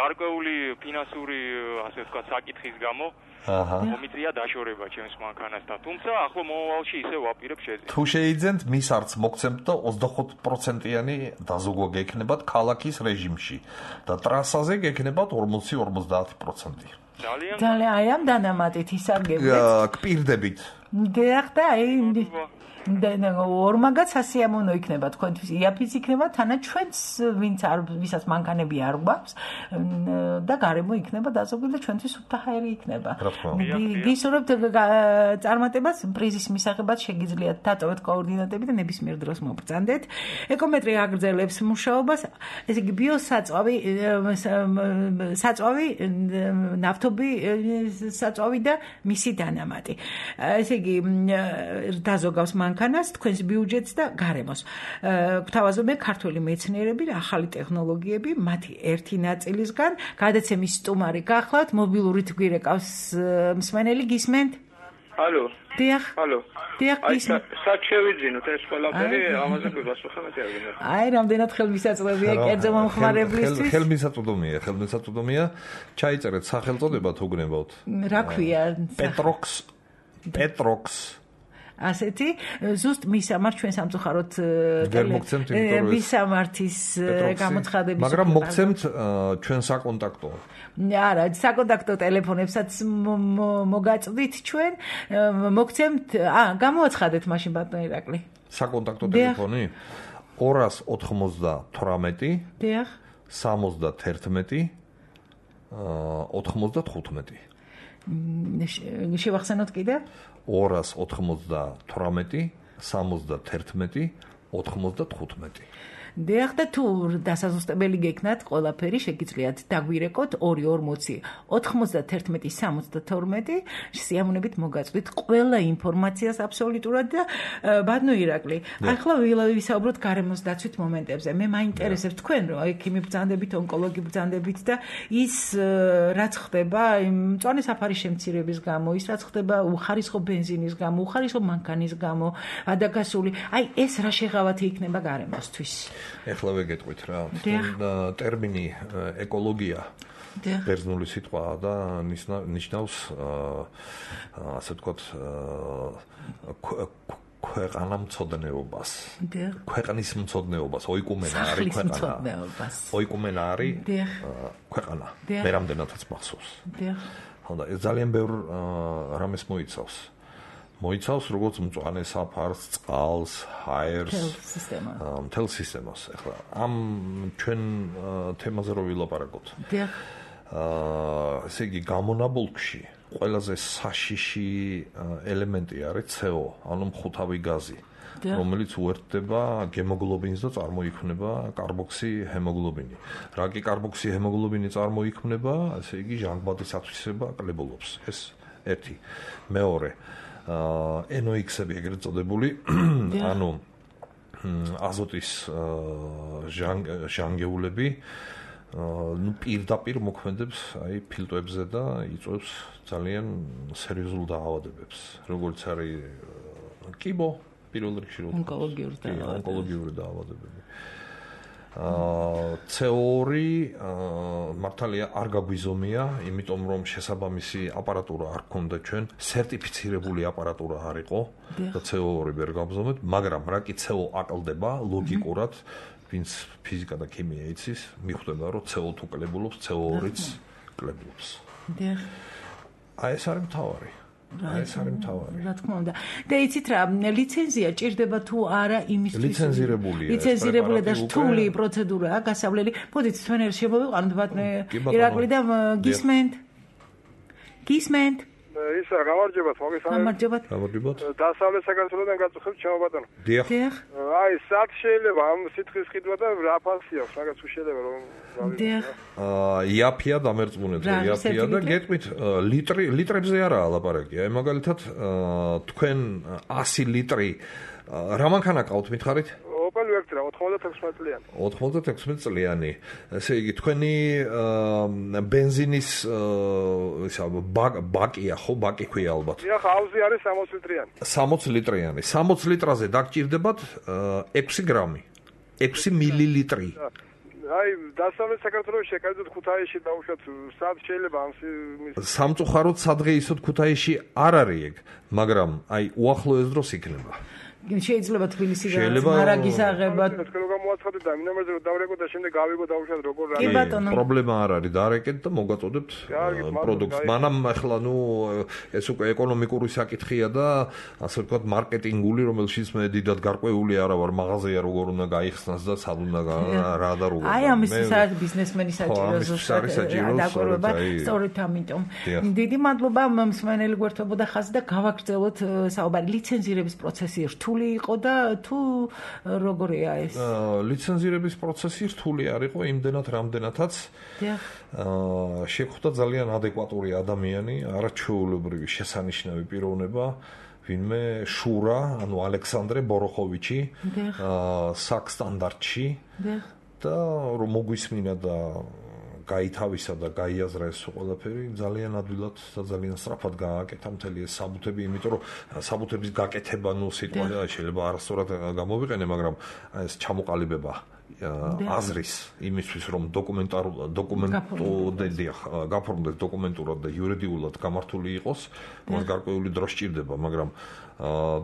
გარკვეული ფინანსური, ასე ვთქვათ, საკითხის გამო მომიწია დაშორება ჩემს მანქანასთან. თუმცა ახლა მომავალში ისე ვაპირებ შეძენს. თუ შეიძენთ, მის არც მოგცემთ და 25%-იანი დაზოგვა გექნებათ ქალაქის რეჟიმში და ტრასაზე გექნებათ 40-50%. ძალიან აი ამ დანამატით ისარგებლეთ. კპირდებით. დიახ და აი ორმაგაც სასიამოვნო იქნება თქვენთვის იაფიც იქნება თანაც ჩვენც ვისაც მანქანები არ გვაქვს და გარემო იქნება დაზოგვილი და ჩვენთვის უფთაჰაერი იქნება გისურვებთ წარმატებას პრიზის მისაღებად შეგიძლიათ დატოვეთ კოორდინატები და ნებისმიერ დროს მობრძანდეთ ეკომეტრი აგრძელებს მუშაობას ესე იგი ბიოსაწვავი ნავთობი საწვავი და მისი დანამატი ესე იგი დაზოგავს მანქანას, თქვენს ბიუჯეტს და გარემოს. გვთავაზობენ ქართველი მეცნიერები და ახალი ტექნოლოგიები, მათი ერთი ნაწილისგან, გადაცემის სტუმარი გახლავთ, მობილურით გვირეკავს მსმენელი გისმენთ? ალო. დიახ. ალო. დიახ, გისმენთ. სად შევიძინოთ ეს ყველაფერი, ამაზე გვასვახა მე არ აი, რამდენად ხელმისაწვდომია კერძო მომხმარებლისთვის? ხელმისაწვდომია. ჩაიწერეთ სახელწოდება თუ გნებავთ. რა ქვია? პეტროქს ასეთი ზუსტ მისამართ ჩვენ სამწუხაროდ მისამართის გამოცხადების მაგრამ მოგცემთ ჩვენ საკონტაქტო არა საკონტაქტო ტელეფონებსაც მოგაწვდით ჩვენ მოგცემთ გამოაცხადეთ მაშინ ბატონო ირაკლი საკონტაქტო ტელეფონი 298 დიახ 71 95 შევახსენოთ კიდე 298 71 95 დიახ და თუ დასაზუსტებელი გექნათ ყველაფერი შეგიძლიათ დაგვირეკოთ 240 91 72 სიამოვნებით მოგაწვით ყველა ინფორმაციას აბსოლუტურად და ბატონო ირაკლი ახლა ვისაუბროთ გარემოს დაცვით მომენტებზე მე მაინტერესებს თქვენ რომ ექიმი ბრძანდებით ონკოლოგი ბრძანდებით და ის რაც ხდება მწვანე საფარის შემცირების გამო ის რაც ხდება უხარისხო ბენზინის გამო უხარისხო მანქანის გამო ადაგასული აი ეს რა შეღავათი იქნება გარემოსთვის ეხლა ვეგეტყვით რა ტერმინი ეკოლოგია ბერძნული სიტყვაა და ნიშნავს ასე ვთქვათ ქვეყანამცოდნეობას ქვეყნის მცოდნეობას ოიკუმენა არის ქვეყანა ოიკუმენა არის ქვეყანა მე რამდენადაც მახსოვს ხონდა ეს ძალიან ბევრ რამეს მოიცავს როგორც მწვანე საფარს, წყალს, ჰაერს, მთელ სისტემას. ახლა ამ ჩვენ თემაზე რო ვილაპარაკოთ. ესე იგი გამონაბოლქში ყველაზე საშიში ელემენტი არის CO, ანუ მხუთავი გაზი, რომელიც უერთდება გემოგლობინს და წარმოიქმნება კარბოქსიჰემოგლობინი. რა კი კარბოქსიჰემოგლობინი წარმოიქმნება, ესე იგი ჟანგბადის ათვისება კლებულობს. ეს ერთი. მეორე NOx-ები ეგრეთ წოდებული, ანუ აზოტის ჟანგეულები პირდაპირ მოქმედებს აი ფილტვებზე და იწვევს ძალიან სერიოზულ დაავადებებს, როგორც არის კიბო, პირველ რიგში ონკოლოგიური დაავადებები. CO2 მართალია არ გაგვიზომია, იმიტომ რომ შესაბამისი აპარატურა არ ქონდა ჩვენ, სერტიფიცირებული აპარატურა არ იყო და CO2 ვერ გავზომეთ, მაგრამ რა კი CO აკლდება ლოგიკურად, ვინც ფიზიკა და ქიმია იცის, მიხვდება რომ CO2 კლებულობს, CO2-ც კლებულობს. აი ეს არის მთავარი. რა თქმა უნდა. და იცით რა, ლიცენზია ჭირდება თუ არა იმისთვის? ლიცენზირებულია. ლიცენზირებული და რთული პროცედურაა, გასავლელი. მოდით თქვენ ერთ შემოვიყვანოთ ბატონო ირაკლი და გისმენთ. ისა გამარჯობათ, მოგესალმებით. გამარჯობათ. დასავლეთ საქართველოსთან გაწუხებთ ჩემო ბატონო. დიახ. აი, სად შეიძლება ამ სითხის ყიდვა და რა ფასი აქვს, მაგაც უშედება რომ დიახ. იაფია დამერწმუნეთ, იაფია და გეტყვით ლიტრებზე არაა ლაპარაკი. აი მაგალითად თქვენ 100 ლიტრი რა მანქანა ყავთ მითხარით? Opel Vectra 96 წლიანი. 96 წლიანი. ესე იგი თქვენი ბენზინის ისა ბაკია ხო, ბაკი ქვია ალბათ. დიახ, აუზი არის 60 litrიანი. 60 litrიანი. 60 litrაზე დაგჭირდებათ 6 გრამი. 6 მილილიტრი. აი, დასავლეთ საქართველოს შეკავდეთ ქუთაისში დაუშვათ, სად შეიძლება ამ სამწუხაროდ სადღეისოდ ქუთაისში არ არის ეგ, მაგრამ აი უახლოეს დროს იქნება. შეიძლება თბილისიდან მარაგის აღებად თქვენ გამოაცხადეთ და მინამერზე რომ დავრეკოთ და შემდეგ გავიგო დაუშვათ როგორ კი ბატონო პრობლემა არ არის დაარეკეთ და მოგაწოდებთ პროდუქტს მანამ ახლა ნუ ეს უკვე ეკონომიკური საკითხია და ასე ვთქვათ მარკეტინგული რომელშიც მე დიდად გარკვეული არა ვარ მაღაზია როგორ უნდა გაიხსნას და სად უნდა რა და როგორ აი ამისთვის არის ბიზნესმენი საჭირო ზუსტად სწორედ ამიტომ დიდი მადლობა მსმენელი გვერდთობოდა ხაზი და გავაგრძელოთ საუბარი ლიცენზირების პროცესი რთული იყო და თუ როგორია ეს? ლიცენზირების პროცესი რთული არ იყო იმდენად რამდენადაც შეხვდა ძალიან ადეკვატური ადამიანი, არაჩვეულებრივი შესანიშნავი პიროვნება, ვინმე შურა, ანუ ალექსანდრე ბოროხოვიჩი, საკსტანდარტში და რომ მოგვისმინა და გაითავისა და გაიაზრა ეს ყველაფერი ძალიან ადვილად და ძალიან სწრაფად გააკეთა მთელი ეს საბუთები, იმიტომ რომ საბუთების გაკეთება ნუ სიტყვა შეიძლება არასწორად გამოვიყენე, მაგრამ ეს ჩამოყალიბება აზრის იმისთვის რომ გაფორმდეს დოკუმენტურად და იურიდიულად გამართული იყოს, მას გარკვეული დრო სჭირდება, მაგრამ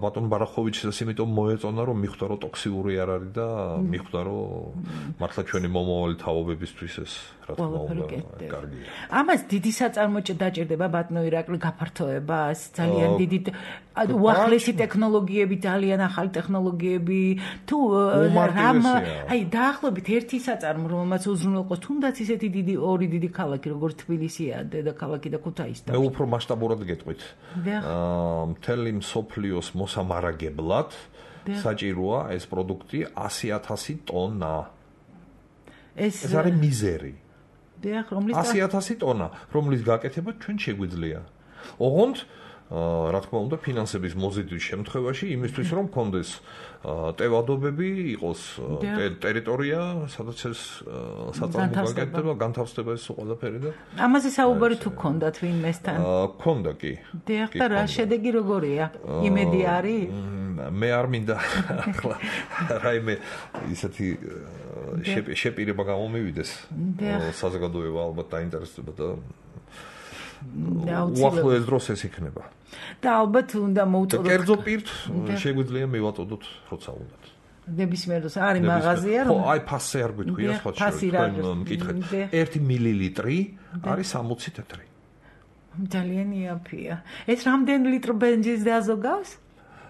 ბატონ ბარახოვიჩს იმიტომ მოეწონა რომ მიხვდა რომ ტოქსიური არ არის და მიხვდა რომ მართლა ჩვენი მომავალი თაობებისთვის ეს რა თქმა უნდა კარგია. ამას დიდი საწარმოჭე დაჭირდება ბატონო ირაკლი გაფართოება, ძალიან დიდი უახლესი ტექნოლოგიები, ძალიან ახალი ტექნოლოგიები, თუ რამ აი დაახლოებით ერთი საწარმო რომელმაც უზრუნველყოს თუნდაც ისეთი დიდი ორი დიდი ქალაქი როგორც თბილისია, დედაქალაქი და ქუთაისი. მე უფრო მასშტაბურად გეტყვით. მთელი მსოფლიოს მოსამარაგებლად საჭიროა ეს პროდუქტი 100,000 ტონა. ეს არის მიზერი. 100,000 ტონა, რომლის გაკეთება ჩვენ შეგვიძლია. ოღონდ რა თქმა უნდა, ფინანსების მოზიდვის შემთხვევაში იმისთვის რომ გქონდეს ტევადობები, იყოს ტერიტორია, სადაც ეს საწარმო გაკეთდება, განთავსდება ეს ყველაფერი და ამაზე საუბარი თუ გქონდათ ვინმესთან? გქონდა კი. დიახ, და რა შედეგი როგორია? იმედი არის? მე არ მინდა ახლა რაიმე ისეთი შეპირება გამომივიდეს. საზოგადოება ალბათ დაინტერესდება და უახლოეს დროს ეს იქნება. და ალბათ უნდა მოუწოდოთ. კერძო პირთ შეგვიძლია მივაწოდოთ, როცა უნდათ. ნებისმიერ დროს არის მაღაზია რომ აი ფასზე არ გვითქვია სხვა თქვენ მკითხეთ. 1 მილილიტრი არის 60 თეთრი. ძალიან იაფია. ეს რამდენი ლიტრი ბენზინს დაზოგავს?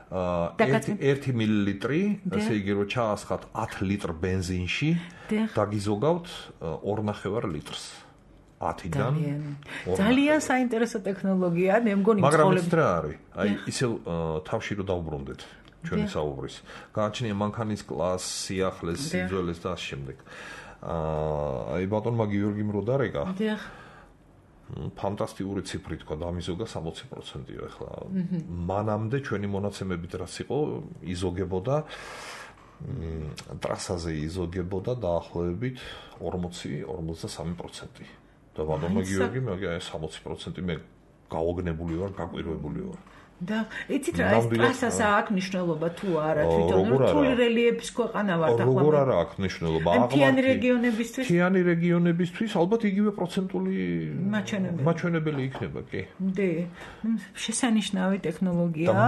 1 მილილიტრი, ასე იგი რომ ჩაასხათ 10 ლიტრ ბენზინში, დაგიზოგავთ 2.5 litrს. 10-დან ძალიან საინტერესო ტექნოლოგია, მე მგონი მაგრამ რა არის? აი ისევ თავში რომ დავუბრუნდეთ ჩვენი საუბრის. გააჩნია მანქანის კლასი, სიახლეს, სიძველეს და ამ შემდეგ. აი ბატონმა გიორგიმ რო დარეკა. დიახ. ფანტასტიკური ციფრი თქვა, დამიზოგა 60%-ია ახლა. მანამდე ჩვენი მონაცემებით რაც იყო, იზოგებოდა ტრასაზე იზოგებოდა დაახლოებით 40-43%. და ბატონმა გიორგი მე 60% მე გაოგნებული ვარ, გაკვირვებული ვარ. და იცით რა ეს ტრასას აქვს მნიშვნელობა თუ არა თვითონ რთული რელიეფის ქვეყანა ვართ ახლა როგორ არა აქვს მნიშვნელობა მთიანი რეგიონებისთვის მთიანი რეგიონებისთვის ალბათ იგივე პროცენტული მაჩვენებელი იქნება კი დი შესანიშნავი ტექნოლოგია და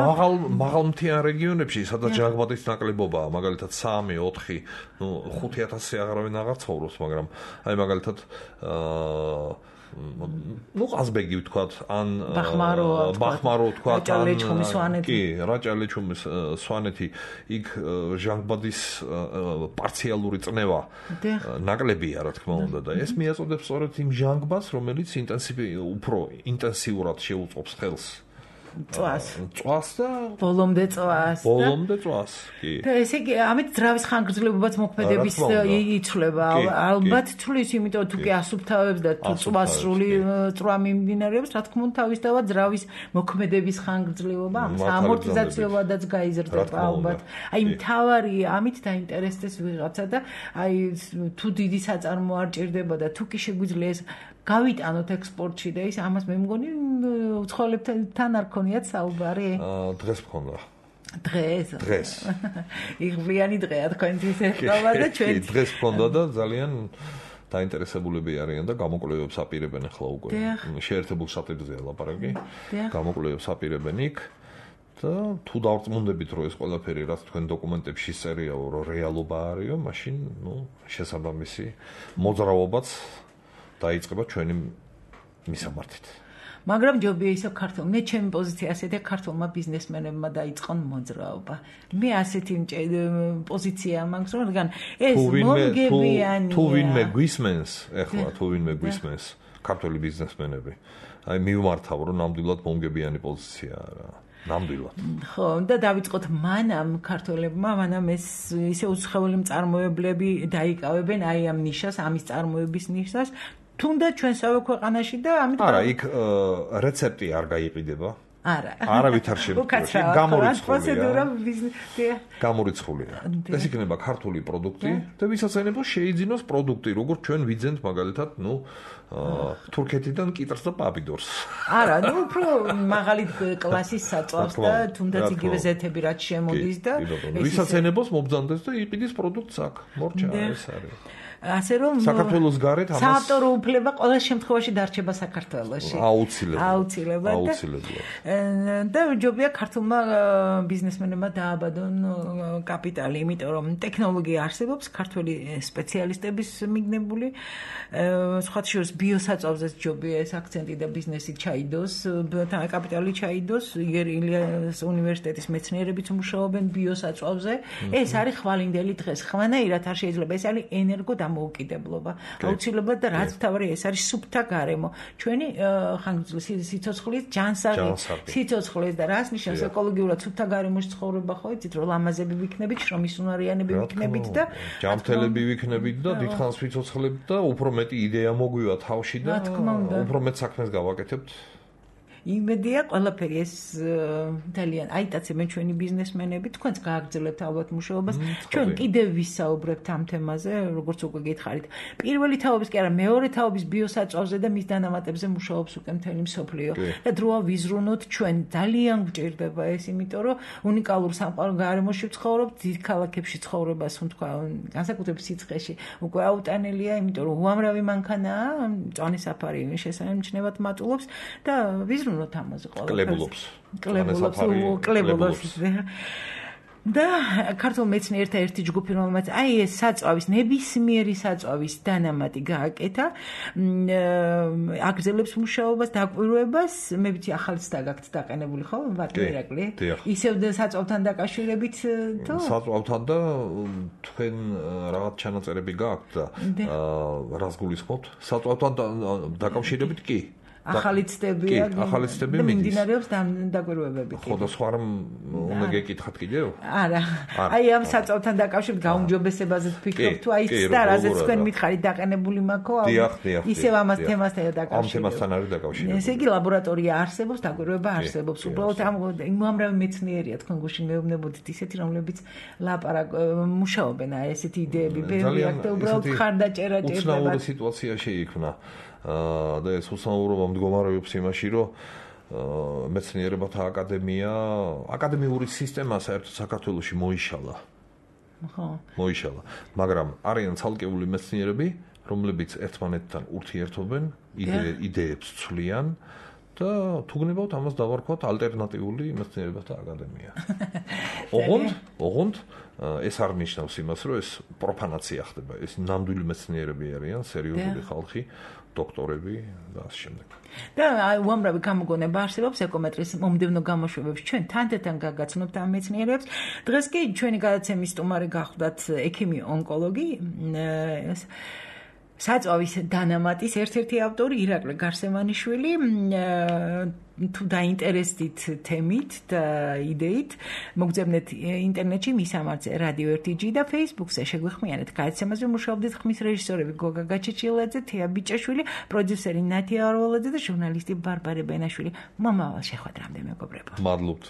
მაღალ მთიან რეგიონებში სადაც ჟანგბადის ნაკლებობაა მაგალითად 3 4 ნუ 5000-ზე აღარავინ აღარ ცხოვრობს მაგრამ აი მაგალითად ну ყაზბეგი ვთქვათ ან ბახმარო ვთქვათ ან კი რაჭა-ლეჩხუმის სვანეთი იქ ჟანგბადის პარციალური წნევა ნაკლებია რა თქმა უნდა და ეს მიაწოდებს სწორედ იმ ჟანგბადს რომელიც უფრო ინტენსიურად შეუწყობს ხელს წვას და ბოლომდე წვას კი და ესე იგი ამით ძრავის ხანგრძლივობაც მოქმედების იცვლება ალბათ თulis იმიტომ თუ კი ასუფთავებს და თუ წვას სრული წვა მიმდინარეობს რა თქმა უნდა თავისთავად ძრავის მოქმედების ხანგრძლივობა ამორტიზაციულადაც გაიზრდება ალბათ აი მთავარი ამით დაინტერესდეს ვიღაცა და აი თუ დიდი საწარმო არ ჭირდება და თუ კი შეგვიძლია ეს გავიტანოთ ექსპორტში და ის ამას მე მგონი უცხოელებთან არ ქონიათ საუბარი? დღეს მქონდა. დღეს. იღბლიანი დღეა თქვენთვის ეხება და ჩვენ დღეს მქონდა და ძალიან დაინტერესებულები არიან და გამოკვლევებს აპირებენ ახლა უკვე. შეერთებულ შტატებზეა ლაპარაკი. გამოკვლევებს აპირებენ იქ და თუ დავწმუნდებით რომ ეს ყველაფერი რაც თქვენ დოკუმენტებში სერიაო რომ რეალობა არისო, მაშინ ნუ შესაბამისი მოძრაობაც დაიწყება ჩვენი მისამართით. მაგრამ ჯობია ისე ქართულ, მე ჩემი პოზიცია ასეთია ქართულმა ბიზნესმენებმა დაიწყონ მოძრაობა. მე ასეთი პოზიცია მაქვს, რომ რადგან ეს მომგებიანია. თუ ვინმე გვისმენს, ეხლა თუ ვინმე გვისმენს ქართული ბიზნესმენები, აი მივმართავ რომ ნამდვილად მომგებიანი პოზიციაა რა. ნამდვილად. ხო, და დავიწყოთ მანამ ქართველებმა, მანამ ეს ისე უცხოელი მწარმოებლები დაიკავებენ აი ამ ნიშას, ამის წარმოების ნიშას, თუნდაც ჩვენსავე ქვეყანაში და ამით არა, იქ რეცეპტი არ გაიყიდება. არა. არავით არ შემდგარში გამორიცხულია. გამორიცხულია. ეს იქნება ქართული პროდუქტი და ვისაც ენებო შეიძინოს პროდუქტი, როგორც ჩვენ ვიძენთ მაგალითად, ნუ თურქეთიდან კიტრს და პაპიდორს. არა, ნუ უფრო მაღალი კლასის საწვავს და თუნდაც იგივე ზეთები რაც შემოდის და ვისაც ენებოს მობძანდეს და იყიდის პროდუქტს აქ. მორჩა ეს არის. ასე რომ საქართველოს გარეთ ამას საავტორო უფლება ყველა შემთხვევაში დარჩება საქართველოში. აუცილებლად. და ჯობია ქართულმა ბიზნესმენებმა დააბადონ კაპიტალი, იმიტომ რომ ტექნოლოგია არსებობს, ქართველი სპეციალისტების მიგნებული, სხვა შორის ბიოსაწვავზეც ჯობია ეს აქცენტი და ბიზნესი ჩაიდოს, კაპიტალი ჩაიდოს, ილიას უნივერსიტეტის მეცნიერებიც მუშაობენ ბიოსაწვავზე. ეს არის ხვალინდელი დღეს. ხვანაირად არ შეიძლება, ეს არის ენერგო დამოუკიდებლობა. აუცილებლად და რაც მთავარი ეს არის სუფთა გარემო. ჩვენი სიცოცხლის ჯანსაღი სიცოცხლის და რას ნიშნავს ეკოლოგიურად სუფთა გარემოში ცხოვრება, ხო იცით, რომ ლამაზები ვიქნებით, შრომისუნარიანები ვიქნებით და ჯანმრთელები ვიქნებით და დიდხანს ვიცოცხლებთ და უფრო მეტი იდეა მოგვივა თავში და უფრო მეტ საქმეს გავაკეთებთ. იმედია ყველაფერი ეს ძალიან აიტაცებენ ჩვენი ბიზნესმენები, თქვენც გააგრძელებთ ალბათ მუშაობას. ჩვენ კიდევ ვისაუბრებთ ამ თემაზე, როგორც უკვე გითხარით. პირველი თაობის კი არა, მეორე თაობის ბიოსაწვავზე და მის დანამატებზე მუშაობს უკვე მთელი მსოფლიო. და დროა ვიზრუნოთ, ჩვენ ძალიან გვჭირდება ეს, იმიტომ რომ უნიკალურ სამყარო გარემოში ვცხოვრობთ, დიდ ქალაქებში ცხოვრება, ასე თქვა, განსაკუთრებით სიცხეში უკვე აუტანელია, იმიტომ რომ უამრავი მანქანაა, მწვანე საფარი შესანიშნავად მატულობს და ვიზრუნოთ ამაზე კლებულობს. და ქართულ მეცნიერთა ერთი ჯგუფი, რომელმაც აი ეს საწვავის, ნებისმიერი საწვავის დანამატი გააკეთა, აგრძელებს მუშაობას, დაკვირვებას, მე ვიცი ახალიც დაგაქვთ დაყენებული, ხო? ვარტი ირაკლი. ისევ საწვავთან დაკავშირებით თუ? საწვავთან და თქვენ რაღაც ჩანაწერები გაქვთ და რას გულისხმობთ? საწვავთან დაკავშირებით კი. ახალი ცდებია და მიმდინარეობს დაკვირვებები. ხო და სხვა რამ უნდა გეკითხათ კიდევ? არა. აი ამ საწვავთან დაკავშირებით გაუმჯობესებაზე ვფიქრობ თუ აი ის და რაზეც თქვენ მითხარით დაყენებული მაქო? ისევ ამას თემასთან დაკავშირებით. ამ თემასთან არის დაკავშირებული. ესე იგი ლაბორატორია არსებობს, დაკვირვება არსებობს. უბრალოდ ამ უამრავი მეცნიერია თქვენ გუშინ მეუბნებოდით ისეთი, რომლებიც მუშაობენ აი ესეთი იდეები ბევრი აქ და უბრალოდ ხარდაჭერა ჭირდება. უცნაური სიტუაცია შეიქმნა. და ეს უსაუბრობა მდგომარეობს იმაში, რომ მეცნიერებათა აკადემიური სისტემა საერთოდ საქართველოში მოიშალა. ხო. მოიშალა, მაგრამ არიან ცალკეული მეცნიერები, რომლებიც ერთმანეთთან ურთიერთობენ, იდეებს ცვლიან და თუ გნებავთ ამას დავარქვათ ალტერნატიული მეცნიერებათა აკადემია. ოღონდ ეს არ ნიშნავს იმას, რომ ეს პროფანაცია ხდება. ეს ნამდვილი მეცნიერები არიან, სერიოზული ხალხი, დოქტორები და ასე შემდეგ. და უამრავი გამოგონება არსებობს ეკომეტრის მომდევნო გამოშვებებში. ჩვენ თანდათან გაგაცნობთ ამ მეცნიერებს. დღეს კი ჩვენი გადაცემის სტუმარი გახლდათ ექიმი ონკოლოგი, საწვავის დანამატის ერთ-ერთი ავტორი ირაკლი გარსემანიშვილი. თუ დაინტერესდით თემით და იდეით, მოგძებნეთ ინტერნეტში მის ამარზე რადიო 1G და Facebook-ზე შეგვეხმიანეთ. გადაცემაზე მუშაობდით ხმის რეჟისორები გოგა გაჩეჩილაძე, თეა ბიჭაშვილი, პროდიუსერი ნათია არვალაძე და ჟურნალისტი ბარბარე ბენაშვილი. მომავალ შეხვედრამდე მეგობრებო. მადლობთ.